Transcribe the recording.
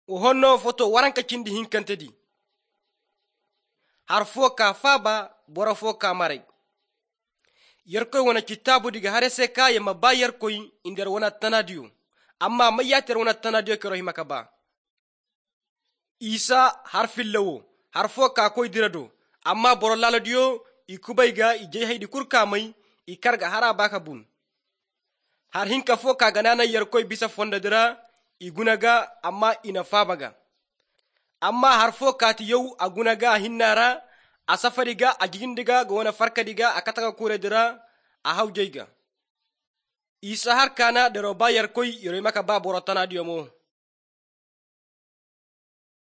Uhonno foto waranka cindi hinkantedi. Har foka faba bora foka marai. Yarkoy wana kitabu diga harese ka yama ba yarkoy indar wana tanadiyo. Amma mayater wana tanadiyo kero himakaba. Isa har fillawo har foka koy dirado. Amma boro laladiyo ikubaiga ijay haydi kurkamay ikarga harabaka bun. Har hinka foka ganana yarkoy bisa fonda dira igunaga amma ina fabaga. Amma har fokati yow agunaga hinnara asafariga ajigindiga gwana farkadiga akataga kure dira ahawjayga. Isa har kana dero ba yarkoy yoro maka ba borotana diyomo.